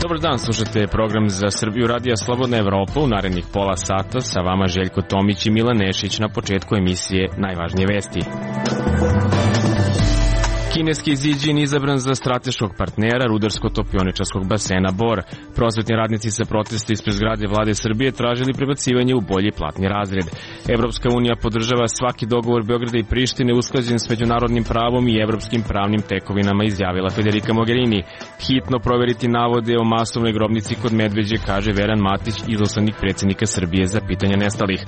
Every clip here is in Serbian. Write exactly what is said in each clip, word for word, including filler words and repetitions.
Dobar dan, slušate program za Srbiju Radija Slobodna Evropa. U narednih pola sata sa vama Željko Tomić i Milan Nešić. Na početku emisije najvažnije vesti. Kineski Ziđin izabran za strateškog partnera rudarsko-topioničarskog basena Bor. Prosvetni radnici sa protesta ispred zgrade Vlade Srbije tražili prebacivanje u bolji platni razred. Evropska unija podržava svaki dogovor Beograda i Prištine usklađen s međunarodnim pravom i evropskim pravnim tekovinama, izjavila Federica Mogherini. Hitno proveriti navode o masovnoj grobnici kod Medveđe, kaže Veran Matić, izaslanik predsjednika Srbije za pitanje nestalih.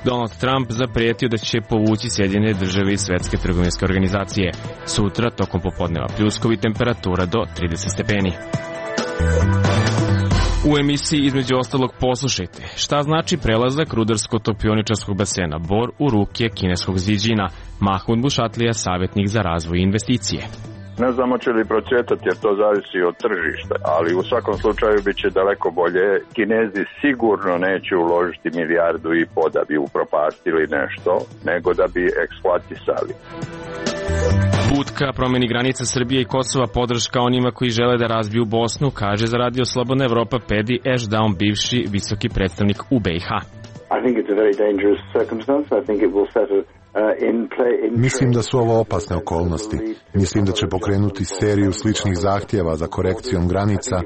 Donald Trump zapretio da će povući Sjedinjene države iz Svetske trgovinske organizacije. Sutra tokom popodneva pljuskovi, temperatura do trideset stepeni. U emisiji između ostalog poslušajte šta znači prelazak rudarsko-topioničarskog basena Bor u ruke kineskog Ziđina. Mahmud Bušatlija, savjetnik za razvoj i investicije. Ne znamo će li procvjetati jer to zavisi od tržišta, ali u svakom slučaju bit će daleko bolje. Kinezi sigurno neće uložiti milijardu i po da bi upropastili nešto, nego da bi eksploatisali. Put ka promeni granica Srbije i Kosova, podrška onima koji žele da razbiju Bosnu, kaže za Radio Slobodna Evropa Pedi Ešdaun, bivši visoki predstavnik u B i H. Mislim da su ovo opasne okolnosti. Mislim da će pokrenuti seriju sličnih zahtjeva za korekcijom granica,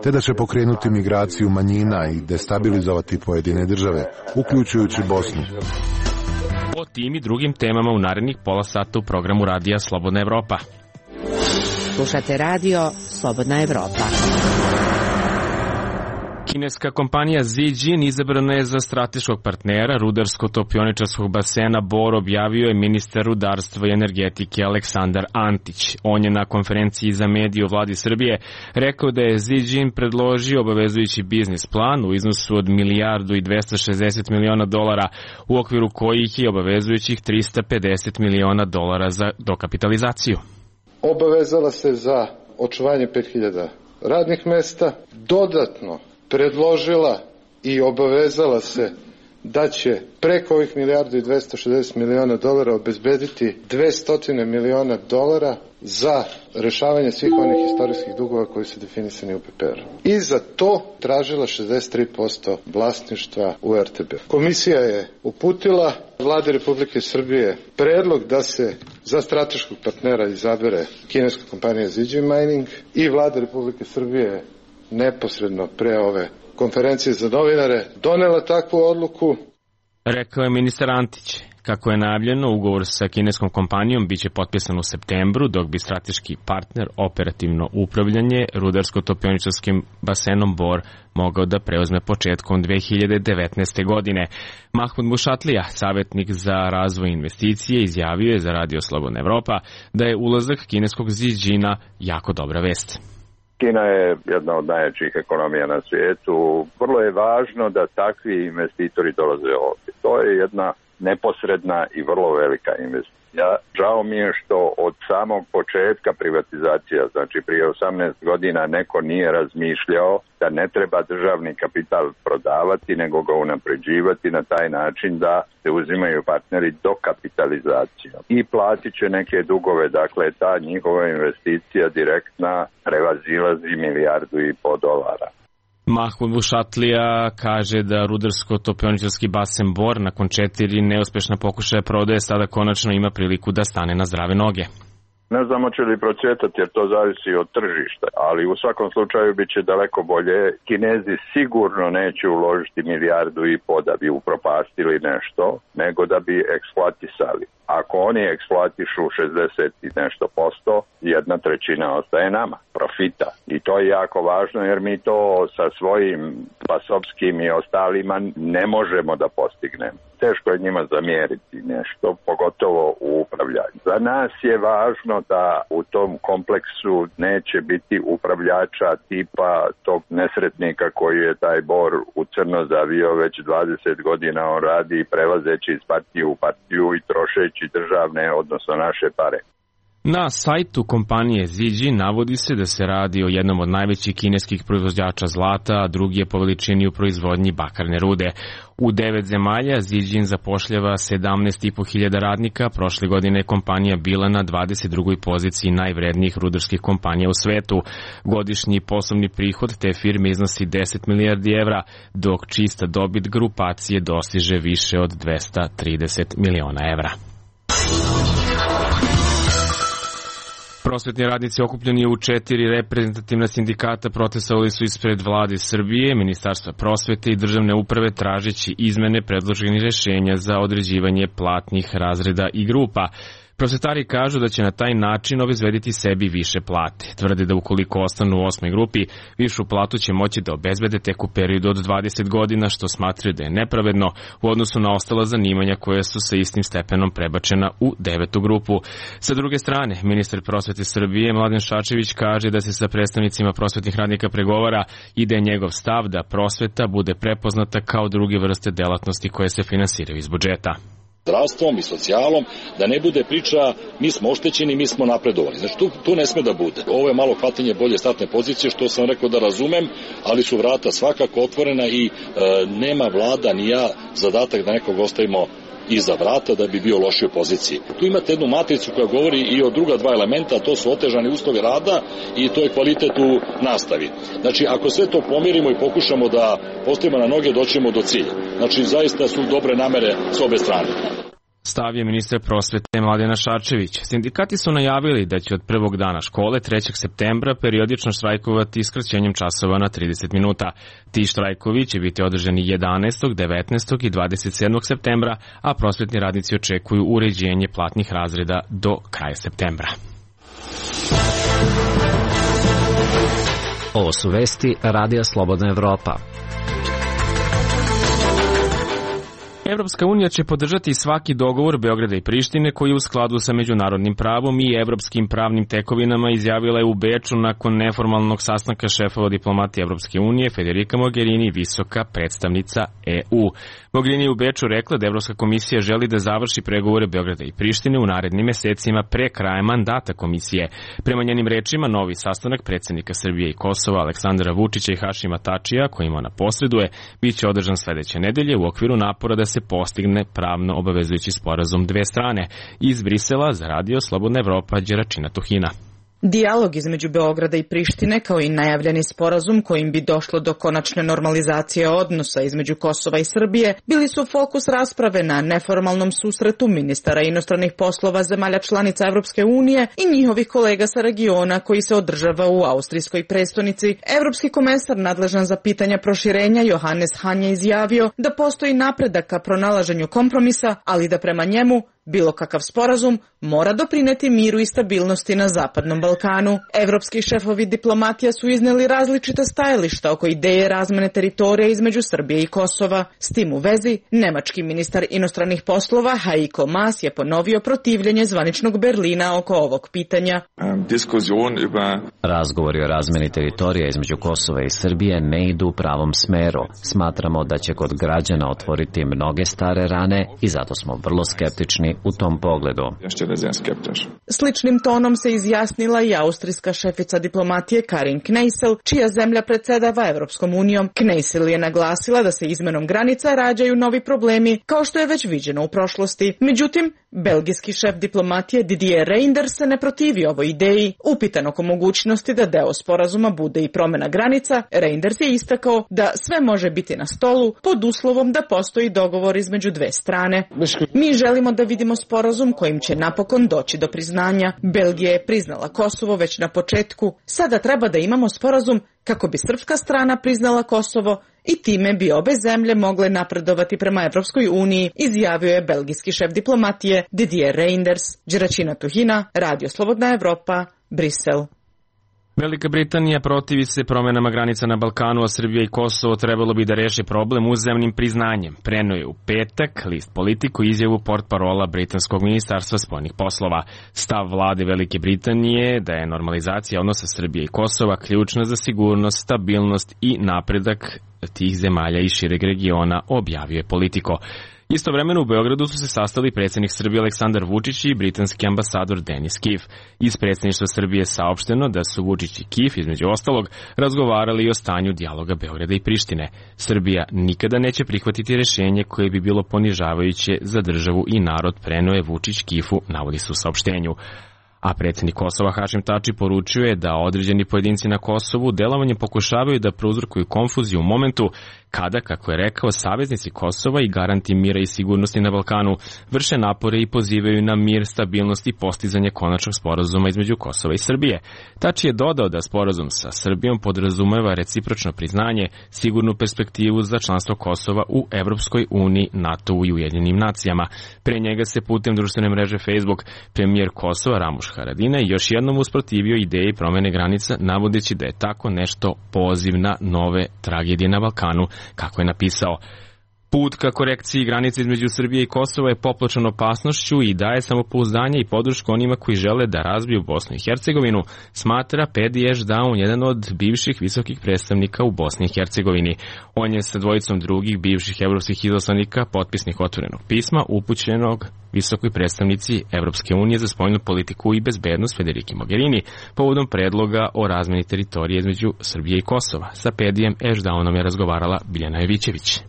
te da će pokrenuti migraciju manjina i destabilizovati pojedine države, uključujući Bosnu. O tim i drugim temama u narednih pola sata u programu Radija Slobodna Evropa. Slušate Radio Slobodna Evropa. Kineska kompanija Ziđin izabrana je za strateškog partnera rudarsko-topioničarskog basena Bor, objavio je ministar rudarstva i energetike Aleksandar Antić. On je na konferenciji za medije u Vladi Srbije rekao da je Ziđin predložio obavezujući biznis plan u iznosu od milijardu i dvesta šezdeset miliona dolara, u okviru kojih je obavezujućih trista pedeset miliona dolara za dokapitalizaciju. Obavezala se za očuvanje pet hiljada radnih mesta, dodatno predložila i obavezala se da će preko ovih milijardu i dvesta šezdeset miliona dolara obezbediti dvesta miliona dolara za rešavanje svih onih istorijskih dugova koji su definisani u P P R-u. I za to tražila šezdeset tri posto vlasništva u R T B. Komisija je uputila Vladi Republike Srbije predlog da se za strateškog partnera izabere kineska kompanija Ziđin Mining i Vlada Republike Srbije neposredno pre ove konferencije za novinare donela takvu odluku. Rekao je ministar Antić. Kako je najavljeno, ugovor sa kineskom kompanijom biće potpisan u septembru, dok bi strateški partner operativno upravljanje rudarsko-topioničarskim basenom Bor mogao da preuzme početkom dve hiljade devetnaeste. godine. Mahmud Bušatlija, savjetnik za razvoj investicije, izjavio je za Radio Slobodna Evropa da je ulazak kineskog Ziđina jako dobra vest. Kina je jedna od najjačih ekonomija na svijetu. Vrlo je važno da takvi investitori dolaze ovdje. To je jedna neposredna i vrlo velika investicija. Žao mi je što od samog početka privatizacija, znači prije osamnaest godina, neko nije razmišljao da ne treba državni kapital prodavati, nego ga unapređivati na taj način da se uzimaju partneri do kapitalizacije. I platit će neke dugove, dakle ta njihova investicija direktna prevazilazi milijardu i po dolara. Mahmud Bušatlija kaže da rudarsko-topioničarski basen Bor nakon četiri neuspešna pokušaja prodaje sada konačno ima priliku da stane na zdrave noge. Ne znamo će li procvjetati jer to zavisi od tržišta, ali u svakom slučaju bit će daleko bolje. Kinezi sigurno neće uložiti milijardu i po da bi upropastili nešto, nego da bi eksploatisali. Ako oni eksploatišu šezdeset i nešto posto, jedna trećina ostaje nama, profita. I to je jako važno jer mi to sa svojim pasovskim i ostalima ne možemo da postignemo. Teško je njima zamjeriti nešto, pogotovo u upravljanju. Za nas je važno da u tom kompleksu neće biti upravljača tipa tog nesretnika koji je taj Bor u crno zavio već dvadeset godina. On radi prelazeći iz partije u partiju i trošeći državne, odnosno naše pare. Na sajtu kompanije Zijin navodi se da se radi o jednom od najvećih kineskih proizvođača zlata, a drugi je po veličini u proizvodnji bakarne rude. U devet zemalja Zijin zapošljava sedamnaest i po hiljada radnika, prošle godine je kompanija bila na dvadeset drugoj poziciji najvrednijih rudarskih kompanija u svetu. Godišnji poslovni prihod te firme iznosi deset milijardi evra, dok čista dobit grupacije dostiže više od dvesta trideset miliona evra. Prosvetni radnici okupljeni u četiri reprezentativna sindikata protestovali su ispred vlade Srbije, Ministarstva prosvete i državne uprave tražeći izmene predloženih rešenja za određivanje platnih razreda i grupa. Prosvetari kažu da će na taj način obezbediti sebi više plate. Tvrde da ukoliko ostanu u osmoj grupi, višu platu će moći da obezbede tek u periodu od dvadeset godina, što smatraju da je nepravedno u odnosu na ostala zanimanja koje su sa istim stepenom prebačena u devetu grupu. Sa druge strane, ministar prosvete Srbije Mladen Šarčević kaže da se sa predstavnicima prosvetnih radnika pregovara i da je njegov stav da prosveta bude prepoznata kao druge vrste delatnosti koje se finansiraju iz budžeta. Zdravstvom i socijalom, da ne bude priča mi smo oštećeni, mi smo napredovali. Znači tu, tu ne sme da bude. Ovo je malo hvatanje bolje startne pozicije, što sam rekao da razumem, ali su vrata svakako otvorena i e, nema vlada ni ja zadatak da nekog ostavimo iza vrata da bi bio u lošoj poziciji. Tu imate jednu matricu koja govori i o druga dva elementa, to su otežani uslovi rada i to je kvalitet u nastavi. Znači, ako sve to pomirimo i pokušamo da postavimo na noge, doćemo do cilja. Znači, zaista su dobre namere s obe strane. Stav je ministar prosvete Mladena Šarčević. Sindikati su najavili da će od prvog dana škole, trećeg septembra, periodično štrajkovati skraćenjem časova na trideset minuta. Ti štrajkovi će biti održani jedanaestog, devetnaestog i dvadeset sedmog septembra, a prosvetni radnici očekuju uređenje platnih razreda do kraja septembra. Ovo su vesti Radija Slobodna Evropa. Evropska unija će podržati svaki dogovor Beograda i Prištine koji je u skladu sa međunarodnim pravom i evropskim pravnim tekovinama, izjavila je u Beču nakon neformalnog sastanka šefova diplomatije Evropske unije Federica Mogherini, visoka predstavnica E U. Mogherini je u Beču rekla da Evropska komisija želi da završi pregovore Beograda i Prištine u narednim mesecima pre kraja mandata komisije. Prema njenim rečima, novi sastanak predsednika Srbije i Kosova Aleksandra Vučića i Hašima Tačija, kojim ona posreduje, bit će održan sledeće nedelje u okviru napora da se postigne pravno obavezujući sporazum dve strane. Iz Brisela za Radio Slobodna Evropa, Đeračina Tuhina. Dijalog između Beograda i Prištine, kao i najavljeni sporazum kojim bi došlo do konačne normalizacije odnosa između Kosova i Srbije, bili su fokus rasprave na neformalnom susretu ministara inostranih poslova zemalja članica Evropske unije i njihovih kolega sa regiona koji se održava u austrijskoj prestonici. Evropski komesar nadležan za pitanja proširenja Johannes Hahn je izjavio da postoji napredak ka pronalaženju kompromisa, ali da prema njemu bilo kakav sporazum mora doprineti miru i stabilnosti na Zapadnom Balkanu. Evropski šefovi diplomatija su izneli različita stajališta oko ideje razmene teritorija između Srbije i Kosova. S tim u vezi, nemački ministar inostranih poslova Heiko Maas je ponovio protivljenje zvaničnog Berlina oko ovog pitanja. Razgovori o razmeni teritorija između Kosova i Srbije ne idu u pravom smeru. Smatramo da će kod građana otvoriti mnoge stare rane i zato smo vrlo skeptični u tom pogledu. Sličnim tonom se izjasnila i austrijska šefica diplomatije Karin Kneissel, čija zemlja predsedava Evropskom unijom. Kneissel je naglasila da se izmenom granica rađaju novi problemi, kao što je već viđeno u prošlosti. Međutim, belgijski šef diplomatije Didier Reynders se ne protivi ovoj ideji. Upitan oko mogućnosti da deo sporazuma bude i promena granica, Reynders je istakao da sve može biti na stolu pod uslovom da postoji dogovor između dve strane. Mi želimo da vidimo sporazum kojim će napokon doći do priznanja. Belgija je priznala Kosovo već na početku. Sada treba da imamo sporazum kako bi srpska strana priznala Kosovo i time bi obe zemlje mogle napredovati prema Evropskoj uniji, izjavio je belgijski šef diplomatije Didier Reynders. Đeračina Tuhina, Radio Slobodna Evropa, Brisel. Velika Britanija protivi se promenama granica na Balkanu, a Srbija i Kosovo trebalo bi da reše problem uzajamnim priznanjem. Preno je u petak list Politiku izjavu portparola britanskog ministarstva spoljnih poslova. Stav vlade Velike Britanije da je normalizacija odnosa Srbije i Kosova ključna za sigurnost, stabilnost i napredak tih zemalja i šireg regiona, objavio je Politico. Istovremeno u Beogradu su se sastali predsjednik Srbije Aleksandar Vučić i britanski ambasador Denis Kif. Iz predsjedništva Srbije je saopšteno da su Vučić i Kif, između ostalog, razgovarali o stanju dijaloga Beograda i Prištine. Srbija nikada neće prihvatiti rješenje koje bi bilo ponižavajuće za državu i narod, preneo je Vučić Kifu, navodi se u saopštenju. A predsjednik Kosova Hašim Tači poručio je da određeni pojedinci na Kosovu delovanjem pokušavaju da prouzrokuju konfuziju u momentu kada, kako je rekao, saveznici Kosova i garanti mira i sigurnosti na Balkanu vrše napore i pozivaju na mir, stabilnost i postizanje konačnog sporazuma između Kosova i Srbije. Tači je dodao da sporazum sa Srbijom podrazumeva recipročno priznanje, sigurnu perspektivu za članstvo Kosova u Evropskoj uniji, NATO-u i Ujedinjenim nacijama. Pre njega se putem društvene mreže Facebook premijer Kosova Ramuš Haradinaj još jednom usprotivio ideji promene granica, navodeći da je tako nešto poziv na nove tragedije na Balkanu, kako je napisao. Put ka korekciji granice između Srbije i Kosova je popločan opasnošću i daje samopouzdanje i podršku onima koji žele da razbiju Bosnu i Hercegovinu, smatra Pedi Ešdaun, jedan od bivših visokih predstavnika u Bosni i Hercegovini. On je sa dvojicom drugih bivših evropskih izaslanika potpisnik otvorenog pisma upućenog visokoj predstavnici Evropske unije za spoljnu politiku i bezbednost Federiki Mogherini povodom predloga o razmeni teritorije između Srbije i Kosova. Sa Pedijem Ešdaunom je razgovarala Biljana Jovićević.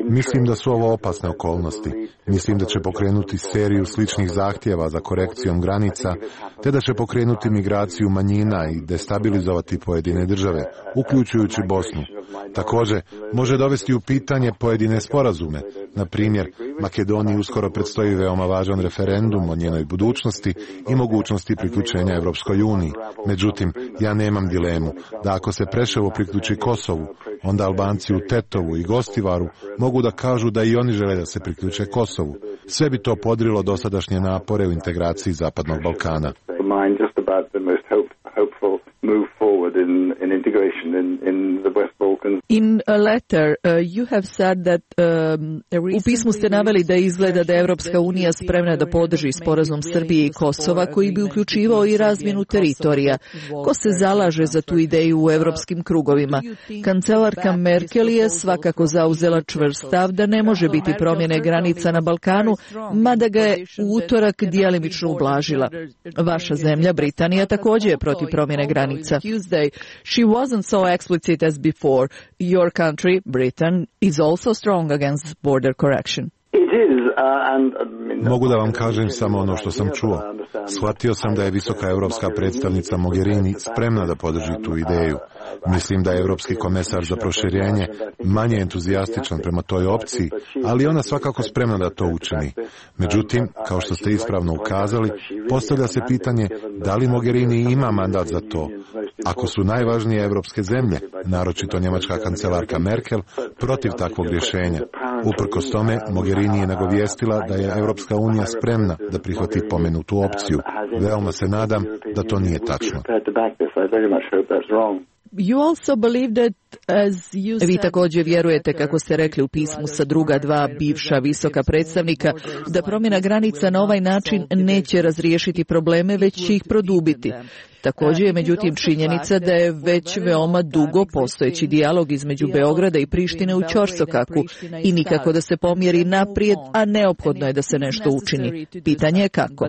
Mislim da su ovo opasne okolnosti. Mislim da će pokrenuti seriju sličnih zahtjeva za korekcijom granica, te da će pokrenuti migraciju manjina i destabilizovati pojedine države, uključujući Bosnu. Također, može dovesti u pitanje pojedine sporazume. Na primjer, Makedoniji uskoro predstoji veoma važan referendum o njenoj budućnosti i mogućnosti priključenja Evropskoj uniji. Međutim, ja nemam dilemu da ako se Preševo priključi Kosovu, onda Albanci u Tetovu i Gostivaru mogu da kažu da i oni žele da se priključe Kosovu. Sve bi to podrilo dosadašnje napore u integraciji Zapadnog Balkana. In a letter, uh, you have said that, um, u pismu ste naveli da izgleda da je Evropska unija spremna da podrži sporazum Srbije i Kosova koji bi uključivao i razmjenu teritorija. Ko se zalaže za tu ideju u evropskim krugovima? Kancelarka Merkel je svakako zauzela čvrst stav da ne može biti promjene granica na Balkanu, mada ga je u utorak djelimično ublažila. Vaša zemlja, Britanija, također je protiv promjene granica. She wasn't so explicit as before. Your country, Britain, is also strong against border correction. Mogu da vam kažem samo ono što sam čuo. Shvatio sam da je visoka evropska predstavnica Mogherini spremna da podrži tu ideju. Mislim da je evropski komesar za proširenje manje entuzijastičan prema toj opciji, ali ona svakako spremna da to učini. Međutim, kao što ste ispravno ukazali, postavlja se pitanje da li Mogherini ima mandat za to. Ako su najvažnije evropske zemlje, naročito njemačka kancelarka Merkel, protiv takvog rješenja. Uprkos tome, Mogherini je nagovijestila da je Evropska unija spremna da prihvati pomenutu opciju. Veoma se nadam da to nije tačno. You also believe that, as you said... Vi također vjerujete, kako ste rekli u pismu sa druga dva bivša visoka predstavnika, da promjena granica na ovaj način neće razriješiti probleme, već će ih produbiti. Također je međutim činjenica da je već veoma dugo postojeći dijalog između Beograda i Prištine u ćorsokaku i nikako da se pomjeri naprijed, a neophodno je da se nešto učini. Pitanje je kako.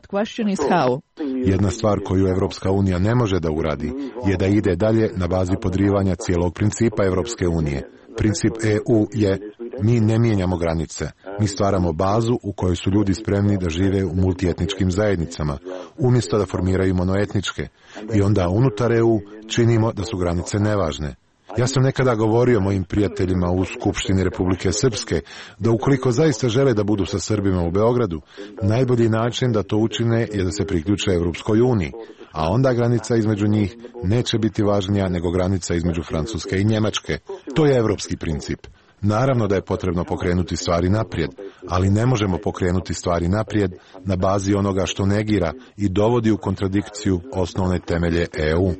Jedna stvar koju Evropska unija ne može da uradi je da ide dalje na bazi podrivanja cijelog principa Evropske unije. Princip E U je mi ne mijenjamo granice, mi stvaramo bazu u kojoj su ljudi spremni da žive u multietničkim zajednicama, umjesto da formiraju monoetničke. I onda unutar E U činimo da su granice nevažne. Ja sam nekada govorio mojim prijateljima u Skupštini Republike Srpske da ukoliko zaista žele da budu sa Srbima u Beogradu, najbolji način da to učine je da se priključe Evropskoj uniji, a onda granica između njih neće biti važnija nego granica između Francuske i Njemačke. To je evropski princip. Naravno da je potrebno pokrenuti stvari naprijed, ali ne možemo pokrenuti stvari naprijed na bazi onoga što negira i dovodi u kontradikciju osnovne temelje E U.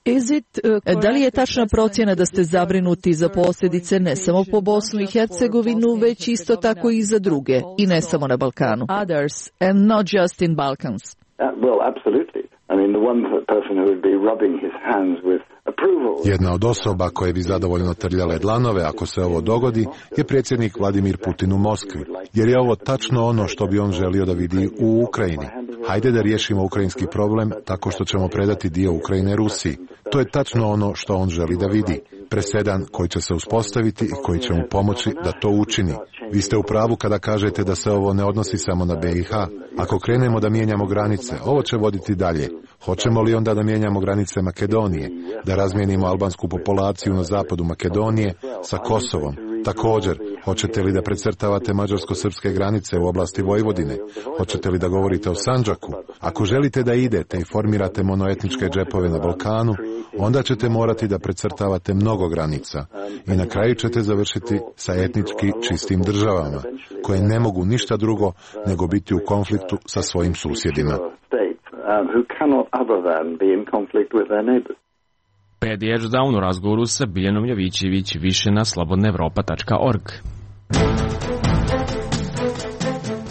Is it, uh, da li je tačna procjena da ste zabrinuti za posljedice ne samo po Bosnu i Hercegovinu, već isto tako i za druge, i ne samo na Balkanu? Others, and not just in Balkans. Uh, well, absolutely. I mean, the one person who would be rubbing his hands with approval. Jedna od osoba koje bi zadovoljno trljale dlanove ako se ovo dogodi je predsjednik Vladimir Putin u Moskvi, jer je ovo tačno ono što bi on želio da vidi u Ukrajini. Hajde da riješimo ukrajinski problem tako što ćemo predati dio Ukrajine Rusiji. To je tačno ono što on želi da vidi. Presedan koji će se uspostaviti i koji će mu pomoći da to učini. Vi ste u pravu kada kažete da se ovo ne odnosi samo na B i H. Ako krenemo da mijenjamo granice, ovo će voditi dalje. Hoćemo li onda da mijenjamo granice Makedonije, da razmijenimo albansku populaciju na zapadu Makedonije sa Kosovom? Također, hoćete li da precrtavate mađarsko-srpske granice u oblasti Vojvodine? Hoćete li da govorite o Sandžaku? Ako želite da idete i formirate monoetničke džepove na Balkanu, onda ćete morati da precrtavate mnogo granica i na kraju ćete završiti sa etnički čistim državama, koje ne mogu ništa drugo nego biti u konfliktu sa svojim susjedima. Pedi Edgedown u razgovoru sa Biljanom Jovićević, više na slobodna evropa tačka org.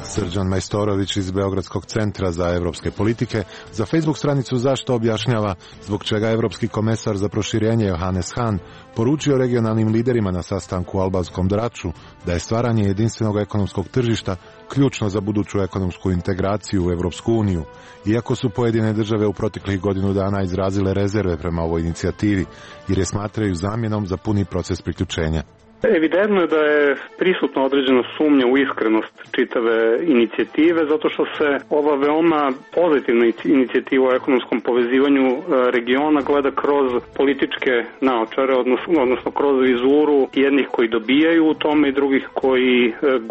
Srđan Majstorović iz Beogradskog centra za evropske politike za Facebook stranicu Zašto objašnjava zbog čega evropski komesar za proširenje Johannes Hahn poručio regionalnim liderima na sastanku u albanskom Draču da je stvaranje jedinstvenog ekonomskog tržišta ključno za buduću ekonomsku integraciju u Evropsku uniju, iako su pojedine države u proteklih godinu dana izrazile rezerve prema ovoj inicijativi, jer je smatraju zamjenom za puni proces priključenja. Evidentno je da je prisutna određena sumnja u iskrenost čitave inicijative, zato što se ova veoma pozitivna inicijativa o ekonomskom povezivanju regiona gleda kroz političke naočare, odnosno, odnosno kroz vizuru jednih koji dobijaju u tome i drugih koji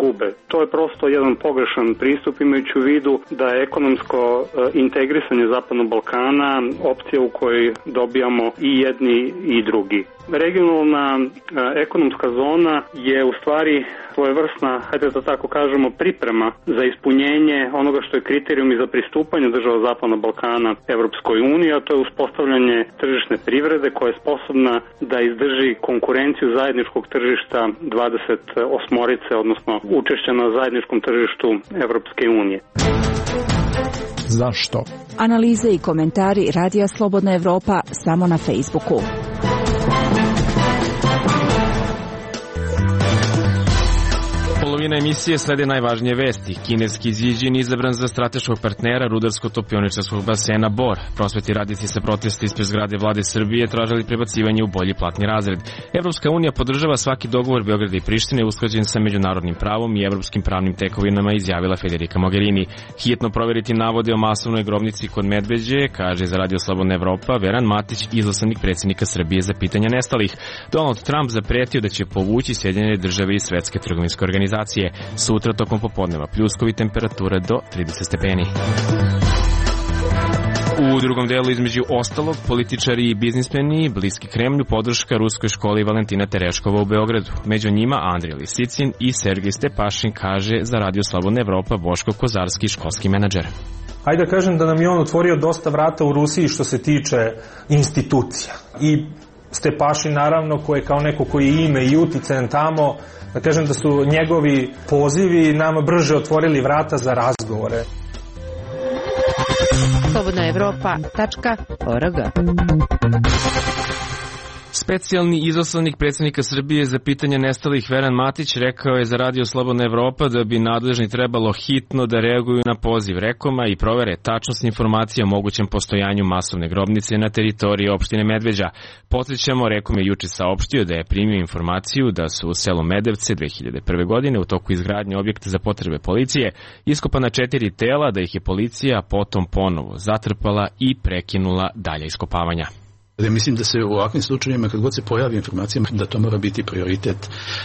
gube. To je prosto jedan pogrešan pristup, imajući u vidu da je ekonomsko integrisanje Zapadnog Balkana opcija u kojoj dobijamo i jedni i drugi. Regionalna ekonomska zona je u stvari svojevrsna, hajde da tako kažemo, priprema za ispunjenje onoga što je kriterijum i za pristupanje država Zapadnog Balkana Evropskoj uniji, a to je uspostavljanje tržišne privrede koja je sposobna da izdrži konkurenciju zajedničkog tržišta dvadeset osmorice, odnosno učešća na zajedničkom tržištu Evropske unije. Zašto? Analize i komentari Radija Slobodna Evropa samo na Facebooku. Polovina emisije slede najvažnije vesti. Kineski Ziđin izabran za strateškog partnera rudarsko-topioničarskog basena Bor. Prosvetni radnici sa protesta ispred zgrade vlade Srbije tražili prebacivanje u bolji platni razred. Evropska unija podržava svaki dogovor Beograda i Prištine usklađen sa međunarodnim pravom i evropskim pravnim tekovinama, izjavila Federica Mogherini. Hitno proveriti navode o masovnoj grobnici kod Medveđe, kaže za Radio Slobodna Evropa Veran Matić, izaslanik predsjednika Srbije za pitanja nestalih. Donald Trump zapretio da će povući Sjedinjene države i Svetske trgovinske organizacije. Sutra tokom popodneva pljuskovi, temperature do trideset stepeni. U drugom delu, između ostalog, političari i biznismeni bliski Kremlju, podrška ruskoj školi Valentina Tereškova u Beogradu. Među njima Andrija Lisicin i Sergej Stepašin, kaže za Radio Slobodna Evropa Boško Kozarski, školski menadžer. Hajde da kažem da nam je on otvorio dosta vrata u Rusiji što se tiče institucija. I Stepašin, naravno, koji je kao neko koji je ime i uticajan tamo, da kažem da su njegovi pozivi nama brže otvorili vrata za razgovore. slobodna evropa tačka org. Specijalni izaslanik predsjednika Srbije za pitanje nestalih Veran Matić rekao je za Radio Slobodna Evropa da bi nadležni trebalo hitno da reaguju na poziv Rekoma i provere tačnost informacija o mogućem postojanju masovne grobnice na teritoriji opštine Medveđa. Podsjećamo, Rekom je juče saopštio da je primio informaciju da su u selu Medevce dve hiljade prve. godine u toku izgradnje objekta za potrebe policije iskopana četiri tela, da ih je policija potom ponovo zatrpala i prekinula dalje iskopavanja. Mislim da se u ovakvim slučajevima, kad god se pojavi informacija, da to mora biti prioritet,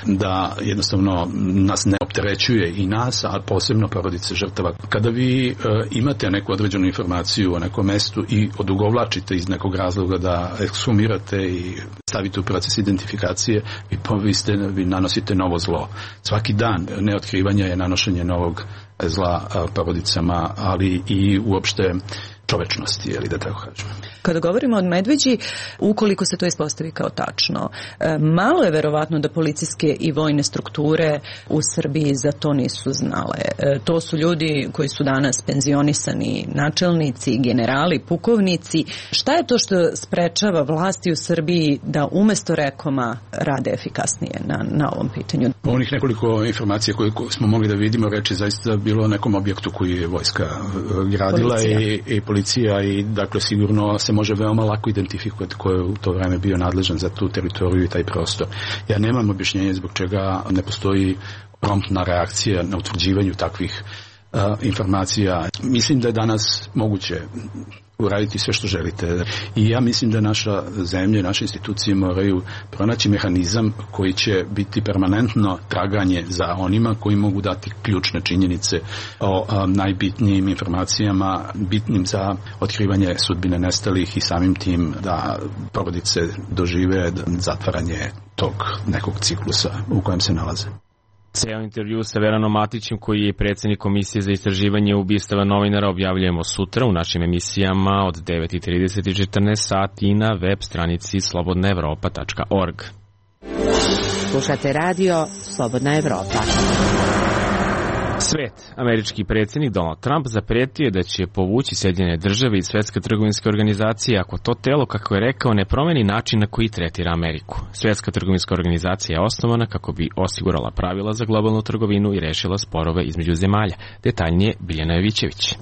da jednostavno nas ne opterećuje i nas, a posebno porodice žrtava. Kada vi e, imate neku određenu informaciju o nekom mestu i odugovlačite iz nekog razloga da ekshumirate i stavite u proces identifikacije, vi, vi, ste, vi nanosite novo zlo. Svaki dan neotkrivanja je nanošenje novog zla a, porodicama, ali i uopšte čovečnosti, je li da tako kažem. Kada govorimo o Medveđi, ukoliko se to ispostavi kao tačno, malo je verovatno da policijske i vojne strukture u Srbiji za to nisu znale. To su ljudi koji su danas penzionisani načelnici, generali, pukovnici. Šta je to što sprečava vlasti u Srbiji da umesto rekoma rade efikasnije na, na ovom pitanju? Onih nekoliko informacija koje smo mogli da vidimo, reči zaista bilo o nekom objektu koji je vojska gradila i, i policija i dakle sigurno se može veoma lako identifikovati ko je u to vreme bio nadležan za tu teritoriju i taj prostor. Ja nemam objašnjenje zbog čega ne postoji promptna reakcija na utvrđivanju takvih uh, informacija. Mislim da je danas moguće uraditi sve što želite. I ja mislim da naša zemlja i naše institucije moraju pronaći mehanizam koji će biti permanentno traganje za onima koji mogu dati ključne činjenice o a, najbitnijim informacijama, bitnim za otkrivanje sudbine nestalih i samim tim da porodice dožive zatvaranje tog nekog ciklusa u kojem se nalaze. Ceo intervju sa Veranom Matićem, koji je predsjednik Komisije za istraživanje ubistava novinara, objavljujemo sutra u našim emisijama od devet trideset i četrnaest sati i na web stranici slobodna evropa tačka org. Slušate radio Slobodna Evropa. Svet. Američki predsjednik Donald Trump zapretio je da će povući Sjedinjene države iz Svjetske trgovinske organizacije ako to telo, kako je rekao, ne promeni način na koji tretira Ameriku. Svjetska trgovinska organizacija je osnovana kako bi osigurala pravila za globalnu trgovinu i rešila sporove između zemalja. Detaljnije Biljana Jovićević.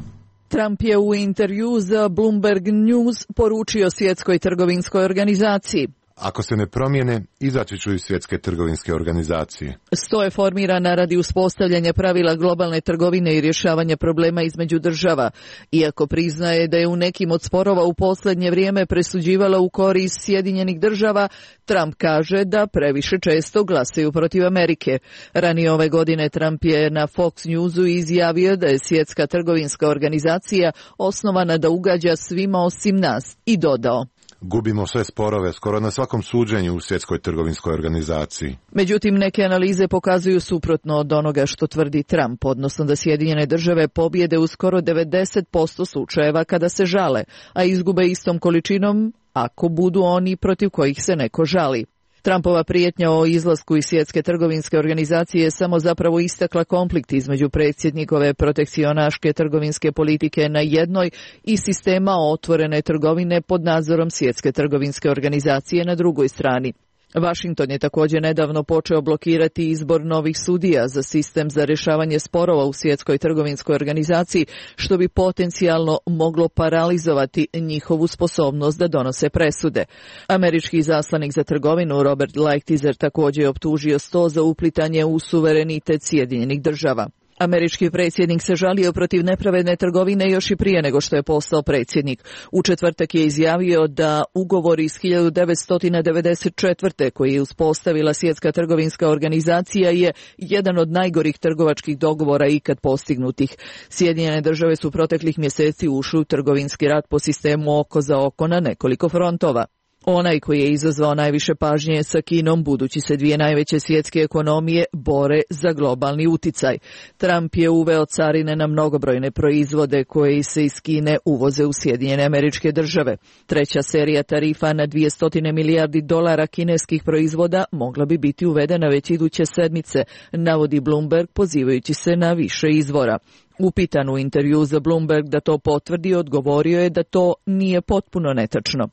Trump je u intervju za Bloomberg News poručio Svjetskoj trgovinskoj organizaciji: ako se ne promijene, izaći ću iz Svjetske trgovinske organizacije. Sto je formirana radi uspostavljanja pravila globalne trgovine i rješavanja problema između država. Iako priznaje da je u nekim od sporova u posljednje vrijeme presuđivala u korist Sjedinjenih država, Trump kaže da previše često glasaju protiv Amerike. Ranije ove godine Trump je na Fox Newsu izjavio da je Svjetska trgovinska organizacija osnovana da ugađa svima osim nas i dodao: gubimo sve sporove skoro na svakom suđenju u Svjetskoj trgovinskoj organizaciji. Međutim, neke analize pokazuju suprotno od onoga što tvrdi Trump, odnosno da Sjedinjene države pobjede u skoro devedeset posto slučajeva kada se žale, a izgube istom količinom ako budu oni protiv kojih se neko žali. Trumpova prijetnja o izlasku iz Svjetske trgovinske organizacije je samo zapravo istakla konflikt između predsjednikove protekcionaške trgovinske politike na jednoj i sistema otvorene trgovine pod nadzorom Svjetske trgovinske organizacije na drugoj strani. Washington je također nedavno počeo blokirati izbor novih sudija za sistem za rješavanje sporova u Svjetskoj trgovinskoj organizaciji, što bi potencijalno moglo paralizovati njihovu sposobnost da donose presude. Američki izaslanik za trgovinu Robert Lighthizer također je optužio sto za uplitanje u suverenitet Sjedinjenih država. Američki predsjednik se žalio protiv nepravedne trgovine još i prije nego što je postao predsjednik. U četvrtak je izjavio da ugovor iz hiljadu devetsto devedeset četvrte koji je uspostavila Svjetska trgovinska organizacija je jedan od najgorih trgovačkih dogovora ikad postignutih. Sjedinjene države su proteklih mjeseci ušli u trgovinski rat po sistemu oko za oko na nekoliko frontova. Onaj koji je izazvao najviše pažnje je sa Kinom, budući se dvije najveće svjetske ekonomije bore za globalni uticaj. Trump je uveo carine na mnogobrojne proizvode koje se iz Kine uvoze u Sjedinjene Američke Države. Treća serija tarifa na dvjesto milijardi dolara kineskih proizvoda mogla bi biti uvedena već iduće sedmice, navodi Bloomberg pozivajući se na više izvora. Upitan u intervju za Bloomberg da to potvrdi, odgovorio je da to nije potpuno netačno.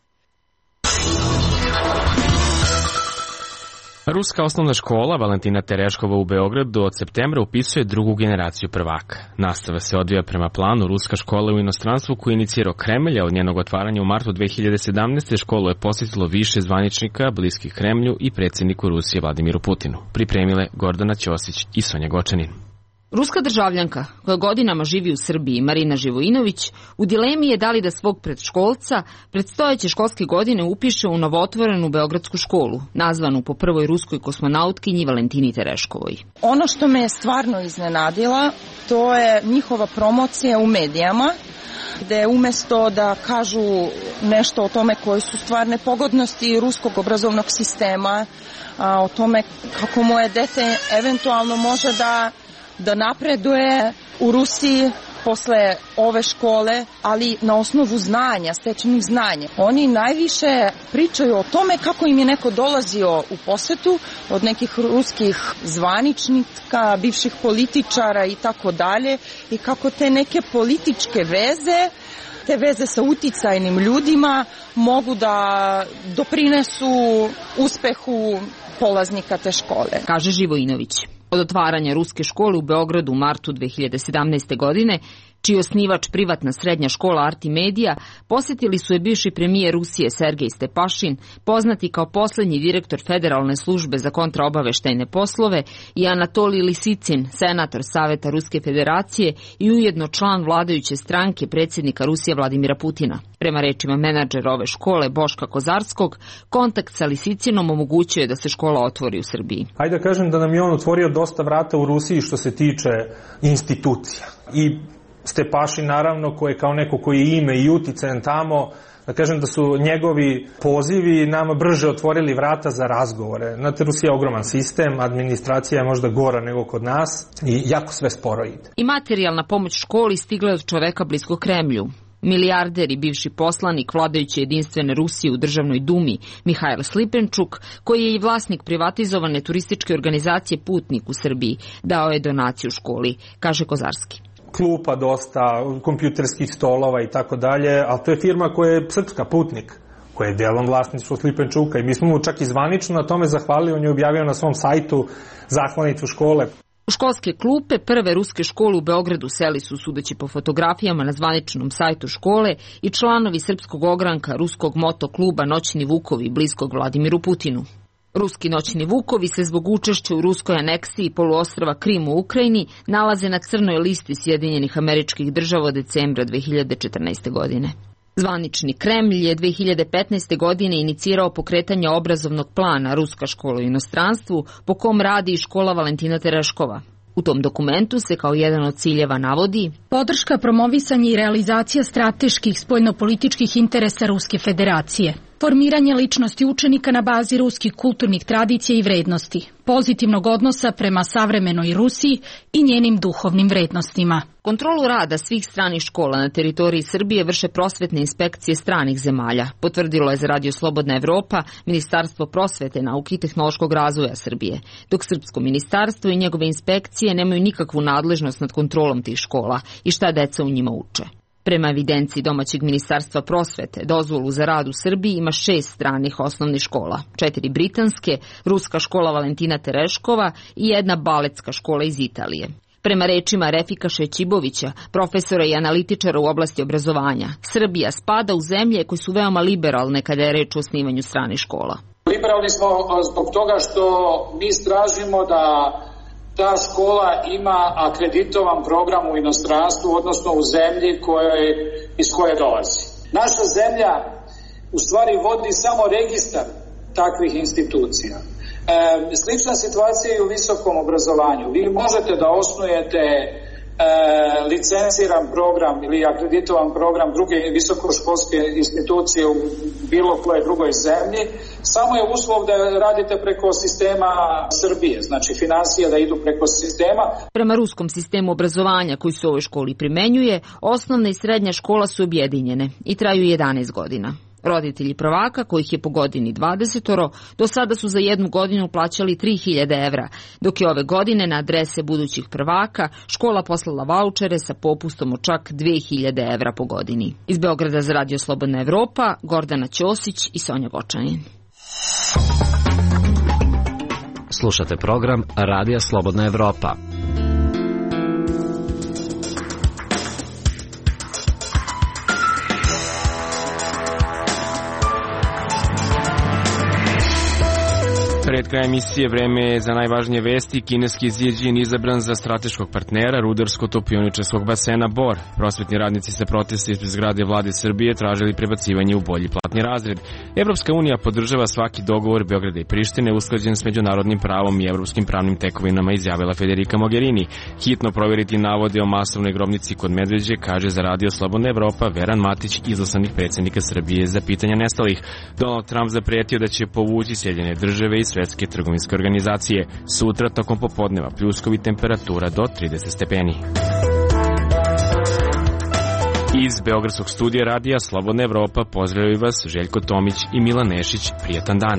Ruska osnovna škola Valentina Tereškova u Beogradu od septembra upisuje drugu generaciju prvaka. Nastava se odvija prema planu Ruska škola u inostranstvu koji je inicirao Kremlj, a od njenog otvaranja u martu dve hiljade sedamnaeste. školu je posjetilo više zvaničnika bliskih Kremlju i predsjedniku Rusije Vladimiru Putinu. Pripremile Gordana Ćosić i Sonja Gočanin. Ruska državljanka, koja godinama živi u Srbiji, Marina Živojinović, u dilemi je da li da svog predškolca predstojeće školske godine upiše u novootvorenu beogradsku školu, nazvanu po prvoj ruskoj kosmonautkinji Valentini Tereškovoj. Ono što me je stvarno iznenadila, to je njihova promocija u medijama, gde umesto da kažu nešto o tome koje su stvarne pogodnosti ruskog obrazovnog sistema, a, o tome kako moje dete eventualno može da da napreduje u Rusiji, posle ove škole, ali na osnovu znanja, stečenih znanja. Oni najviše pričaju o tome kako im je neko dolazio u posetu od nekih ruskih zvaničnika, bivših političara i tako dalje, i kako te neke političke veze, te veze sa uticajnim ljudima mogu da doprinesu uspehu polaznika te škole. Kaže Živojinović. Od otvaranja ruske škole u Beogradu u martu dve hiljade sedamnaeste. godine, čiji osnivač privatna srednja škola Artimedija, posjetili su je bivši premijer Rusije Sergej Stepašin, poznati kao poslednji direktor Federalne službe za kontraobaveštajne poslove, i Anatolij Lisicin, senator Saveta Ruske federacije i ujedno član vladajuće stranke predsjednika Rusije Vladimira Putina. Prema rečima menadžera ove škole Boška Kozarskog, kontakt sa Lisicinom omogućuje da se škola otvori u Srbiji. Hajde da kažem da nam je on otvorio dosta vrata u Rusiji što se tiče institucija. I Stepašin, naravno, koji je kao neko koji je ime i uticajan tamo, da kažem da su njegovi pozivi nama brže otvorili vrata za razgovore. Znate, Rusija je ogroman sistem, administracija je možda gora nego kod nas i jako sve sporo ide. I materijalna pomoć školi stigla je od čoveka blisko Kremlju. Milijarder i bivši poslanik vladajuće jedinstvene Rusije u državnoj dumi Mihajl Slipenčuk, koji je i vlasnik privatizovane turističke organizacije Putnik u Srbiji, dao je donaciju školi, kaže Kozarski. Klupa dosta, kompjuterskih stolova i tako dalje, ali to je firma koja je srpska, Putnik, koja je delom vlasništvo Slipenčuka, i mi smo mu čak i zvanično na tome zahvalili, on je objavio na svom sajtu zahvalnicu škole. U školske klupe prve ruske škole u Beogradu seli su, sudeći po fotografijama na zvaničnom sajtu škole, i članovi srpskog ogranka ruskog motokluba Noćni Vukovi bliskog Vladimiru Putinu. Ruski Noćni Vukovi se zbog učešća u ruskoj aneksiji poluostrva Krim u Ukrajini nalaze na crnoj listi Sjedinjenih Američkih Država od decembra dve hiljade četrnaeste. godine. Zvanični Kremlj je dve hiljade petnaeste. godine inicirao pokretanje obrazovnog plana Ruska škola u inostranstvu, po kom radi i škola Valentina Tereškova. U tom dokumentu se kao jedan od ciljeva navodi podrška, promovisanje i realizacija strateških spoljnopolitičkih interesa Ruske federacije, formiranje ličnosti učenika na bazi ruskih kulturnih tradicija i vrednosti, pozitivnog odnosa prema savremenoj Rusiji i njenim duhovnim vrednostima. Kontrolu rada svih stranih škola na teritoriji Srbije vrše prosvetne inspekcije stranih zemalja, potvrdilo je za Radio Slobodna Evropa Ministarstvo prosvete, nauke i tehnološkog razvoja Srbije, dok Srpsko ministarstvo i njegove inspekcije nemaju nikakvu nadležnost nad kontrolom tih škola i šta deca u njima uče. Prema evidenciji domaćeg ministarstva prosvete, dozvolu za rad u Srbiji ima šest stranih osnovnih škola, četiri britanske, ruska škola Valentina Tereškova i jedna baletska škola iz Italije. Prema rečima Refika Šećibovića, profesora i analitičara u oblasti obrazovanja, Srbija spada u zemlje koje su veoma liberalne kada je reč o osnivanju stranih škola. Liberalni smo zbog toga što mi stražimo da ta škola ima akreditovan program u inostranstvu, odnosno u zemlji kojoj, iz koje dolazi. Naša zemlja u stvari vodi samo registar takvih institucija. E, slična situacija je u visokom obrazovanju. Vi možete da osnujete e, licenciran program ili akreditovan program druge visokoškolske institucije u bilo koje drugoj zemlji, samo je uslov da radite preko sistema Srbije, znači finansije da idu preko sistema. Prema ruskom sistemu obrazovanja koji se u ovoj školi primenjuje, osnovna i srednja škola su objedinjene i traju jedanaest godina. Roditelji prvaka, kojih je po godini dvadesetoro, do sada su za jednu godinu plaćali tri hiljade evra, dok je ove godine na adrese budućih prvaka škola poslala vaučere sa popustom od čak dve hiljade evra po godini. Iz Beograda za Radio Slobodna Evropa, Gordana Ćosić i Sonja Gočanin. Slušate program Radija Slobodna Evropa. Pred krajem emisije vreme je za najvažnije vesti. Kineski Xi Jinping izabran za strateškog partnera rudarsko-topioničarskog basena Bor. Prosvetni radnici se protesta ispred zgrade vlade Srbije tražili prebacivanje u bolji platni razred. Evropska unija podržava svaki dogovor Beograda i Prištine usklađen s međunarodnim pravom i evropskim pravnim tekovinama, izjavila Federica Mogherini. Hitno provjeriti navode o masovnoj grobnici kod Medveđe, kaže za Radio Slobodna Evropa Veran Matić, izaslanik predsjednika Srbije za pitanja nestalih. Donald Trump zapretio da će povući Sjedinjene države i Svetske trgovinske organizacije. Sutra tokom popodneva pljuskovi, temperatura do trideset stepeni. Iz Beogradskog studija radija Slobodna Evropa pozdravljaju vas Željko Tomić i Milan Nešić. Prijetan dan.